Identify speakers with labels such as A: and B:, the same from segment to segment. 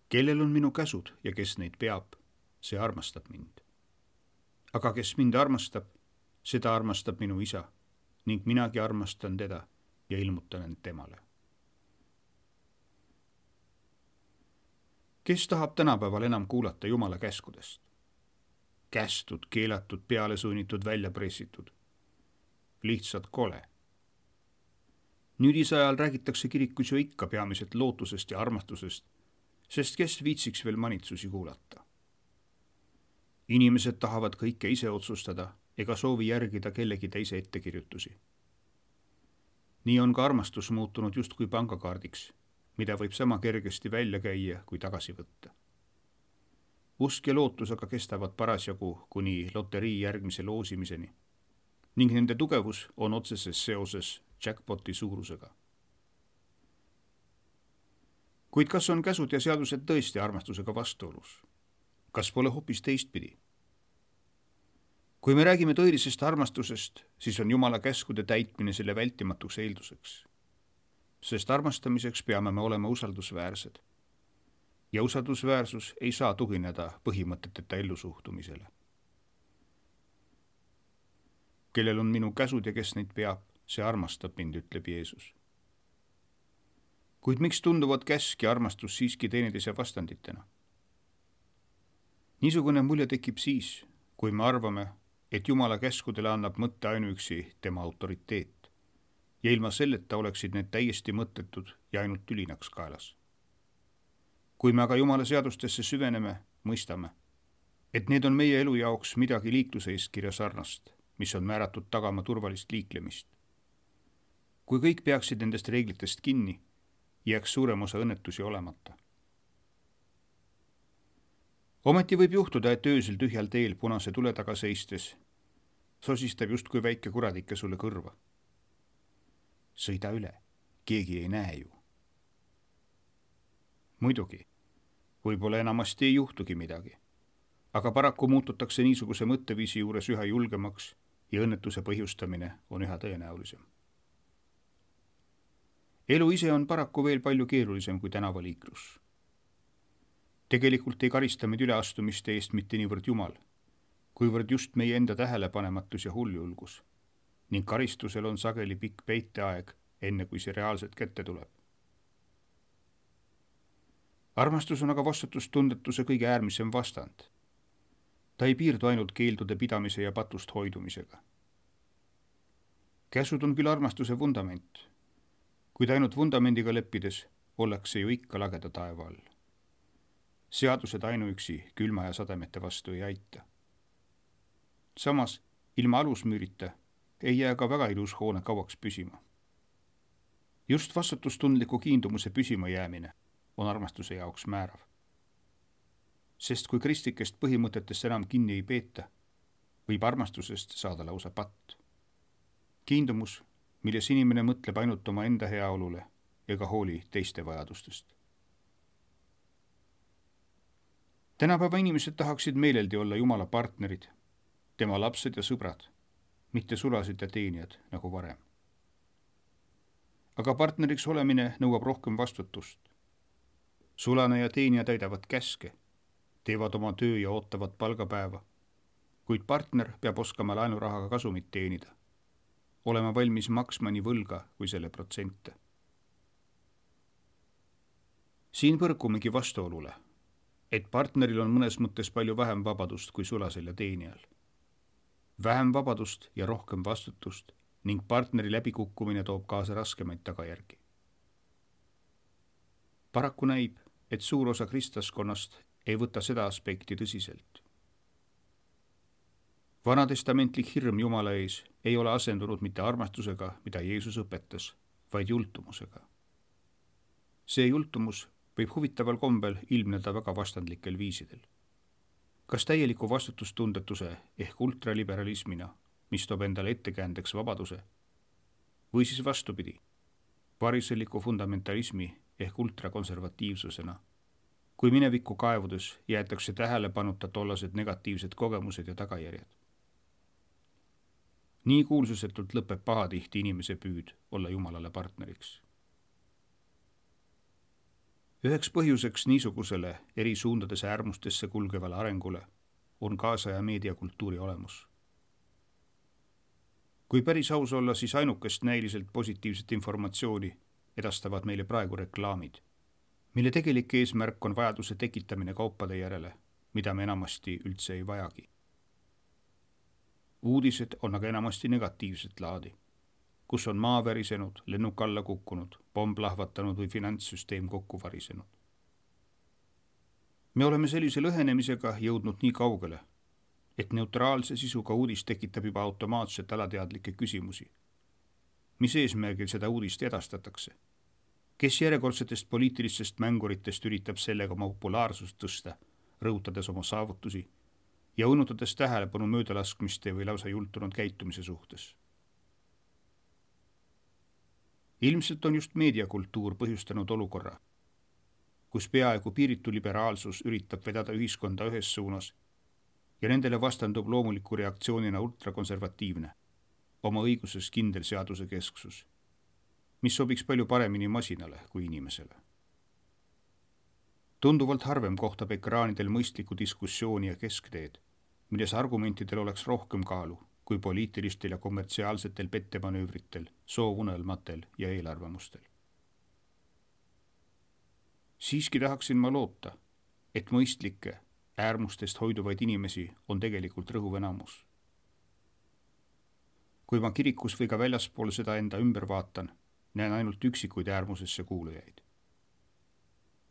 A: Kellel on minu käsud ja kes neid peab, see armastab mind. Aga kes mind armastab, seda armastab minu isa ning minagi armastan teda ja ilmutan end temale. Kes tahab tänapäeval enam kuulata Jumala käskudest? Kästud, keelatud, pealesunnitud, välja pressitud. Lihtsalt kole. Nüüdise ajal räägitakse kirikus ju ikka peamiselt lootusest ja armastusest, sest kes viitsiks veel manitsusi kuulata. Inimesed tahavad kõike ise otsustada ega soovi järgida kellegi teise ettekirjutusi. Nii on ka armastus muutunud justkui pangakaardiks, mida võib sama kergesti välja käia kui tagasi võtta. Usk ja lootus aga kestavad parasjagu kuni loterii järgmise loosimiseni ning nende tugevus on otseses seoses jackpoti suurusega. Kuid kas on käsud ja seadused tõesti armastusega vastuolus? Kas pole hoopis teistpidi? Kui me räägime tõelisest armastusest, siis on Jumala käskude täitmine selle vältimatuks eelduseks. Sest armastamiseks peame me olema usaldusväärsed. Ja usaldusväärsus ei saa tugineda põhimõteteta ellusuhtumisele. Kellel on minu käsud ja kes neid peab, see armastab mind, ütleb Jeesus. Kuid miks tunduvad käsk ja armastus siiski teineteise vastanditena? Niisugune mulje tekib siis, kui me arvame, et Jumala käskudele annab mõtte ainuüksi tema autoriteet ja ilma selleta oleksid need täiesti mõttetud ja ainult tülinaks kaelas. Kui me aga Jumala seadustesse süveneme, mõistame, et need on meie elu jaoks midagi liikluse eeskirja sarnast, mis on määratud tagama turvalist liiklemist. Kui kõik peaksid nendest reeglitest kinni, jääks suurem osa õnnetusi olemata. Ometi võib juhtuda, et öösel tühjal teel punase tule taga seistes sosistab justkui väike kuradike sulle kõrva. Sõida üle, keegi ei näe ju. Muidugi, võib-olla enamasti ei juhtugi midagi, aga paraku muututakse niisuguse mõtteviisi juures üha julgemaks ja õnnetuse põhjustamine on üha tõenäolisem. Elu ise on paraku veel palju keerulisem kui tänavaliiklus. Tegelikult ei karista meid üleastumiste eest mitte niivõrd Jumal, kuivõrd just meie enda tähelepanematus ja hulljulgus ning karistusel on sageli pikk peiteaeg, enne kui see reaalselt kätte tuleb. Armastus on aga vastutustundetuse kõige äärmisem vastand. Ta ei piirdu ainult keeldude pidamise ja patust hoidumisega. Käsud on küll armastuse vundament, kuid ainult vundamendiga leppides ollakse ju ikka lageda taeva all. Seadused ainuüksi külma ja sademete vastu ei aita. Samas, ilma alusmüürita ei jää ka väga ilus hoone kauaks püsima. Just vastutustundliku kiindumuse püsima jäämine on armastuse jaoks määrav. Sest kui kristlikest põhimõtetest enam kinni ei peeta, võib armastusest saada lausa patt. Kiindumus, milles inimene mõtleb ainult oma enda heaolule ega hooli teiste vajadustest. Tänapäeva inimesed tahaksid meeleldi olla Jumala partnerid, tema lapsed ja sõbrad, mitte sulased ja teenijad nagu varem. Aga partneriks olemine nõuab rohkem vastutust. Sulane ja teenija täidavad käske, teevad oma töö ja ootavad palgapäeva, kuid partner peab oskama laenurahaga kasumit teenida, olema valmis maksma nii võlga kui selle protsente. Siin põrkumegi vastuolule, et partneril on mõnes mõttes palju vähem vabadust kui sulasel ja teenijal. Vähem vabadust ja rohkem vastutust ning partneri läbikukkumine toob kaasa raskemaid tagajärgi. Paraku näib, et suur osa kristlaskonnast ei võta seda aspekti tõsiselt. Vanatestamentlik hirm Jumala ees ei ole asendunud mitte armastusega, mida Jeesus õpetas, vaid jultumusega. See jultumus võib huvitaval kombel ilmneda väga vastandlikel viisidel. Kas täieliku vastutustundetuse ehk ultraliberalismina, mis toob endale ettekäändeks vabaduse, või siis vastupidi, variseliku fundamentalismi ehk ultrakonservatiivsusena, kui minevikku kaevudes jäetakse tähelepanuta tollased negatiivsed kogemused ja tagajärjed. Nii kuulsusetult lõpeb pahatihti inimese püüd olla Jumalale partneriks. Üheks põhjuseks niisugusele eri suundades äärmustesse kulgevale arengule on kaasaja meediakultuuri olemus. Kui päris aus olla, siis ainukest näiliselt positiivset informatsiooni edastavad meile praegu reklaamid, mille tegelik eesmärk on vajaduse tekitamine kaupade järele, mida me enamasti üldse ei vajagi. Uudised on aga enamasti negatiivset laadi, kus on maa värisenud, lennuk alla kukkunud, pomm plahvatanud või finantssüsteem kokku varisenud. Me oleme sellise lõhenemisega jõudnud nii kaugele, et neutraalse sisuga uudis tekitab juba automaatselt alateadlikke küsimusi. Mis eesmärgil seda uudist edastatakse? Kes järjekordsetest poliitilistest mänguritest üritab sellega oma populaarsust tõsta, rõhutades oma saavutusi ja õnnutades tähelepanu möödalaskmiste või lausa jultunud käitumise suhtes? Ilmselt on just meediakultuur põhjustanud olukorra, kus peaaegu piiritu liberaalsus üritab vedada ühiskonda ühes suunas ja nendele vastandub loomuliku reaktsioonina ultrakonservatiivne, oma õiguses kindel seaduse kesksus, mis sobiks palju paremini masinale kui inimesele. Tunduvalt harvem kohtab ekraanidel mõistlikku diskussiooni ja keskteed, milles argumentidel oleks rohkem kaalu kui poliitilistel ja kommertsiaalsetel pettemanöövritel, soovunelmatel ja eelarvamustel. Siiski tahaksin ma loota, et mõistlikke, äärmustest hoiduvaid inimesi on tegelikult rõhuv enamus. Kui ma kirikus või ka väljaspool seda enda ümber vaatan, näen ainult üksikuid äärmusesse kuulujaid.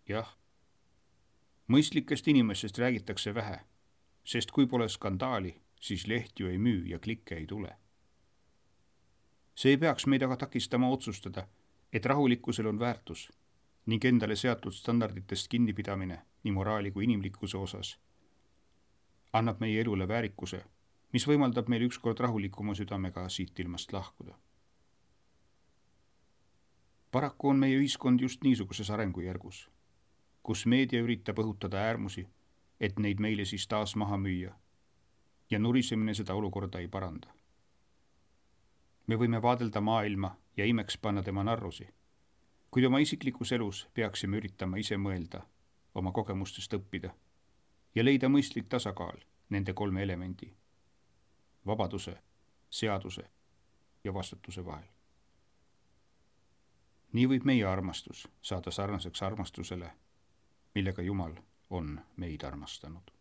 A: Jah, mõistlikest inimestest räägitakse vähe, sest kui pole skandaali, siis leht ju ei müü ja klikke ei tule. See ei peaks meid aga takistama otsustada, et rahulikkusel on väärtus ning endale seatud standarditest kinnipidamine nii moraali kui inimlikkuse osas annab meie elule väärikuse, mis võimaldab meil ükskord rahulikuma südamega siit ilmast lahkuda. Paraku on meie ühiskond just niisuguses arengujärgus, kus meedia üritab õhutada äärmusi, et neid meile siis taas maha müüa ja nurisemine seda olukorda ei paranda. Me võime vaadelda maailma ja imeks panna tema narrusi, kuid oma isiklikus elus peaksime üritama ise mõelda, oma kogemustest õppida ja leida mõistlik tasakaal nende kolme elemendi: vabaduse, seaduse ja vastutuse vahel. Nii võib meie armastus saada sarnaseks armastusele, millega Jumal on meid armastanud.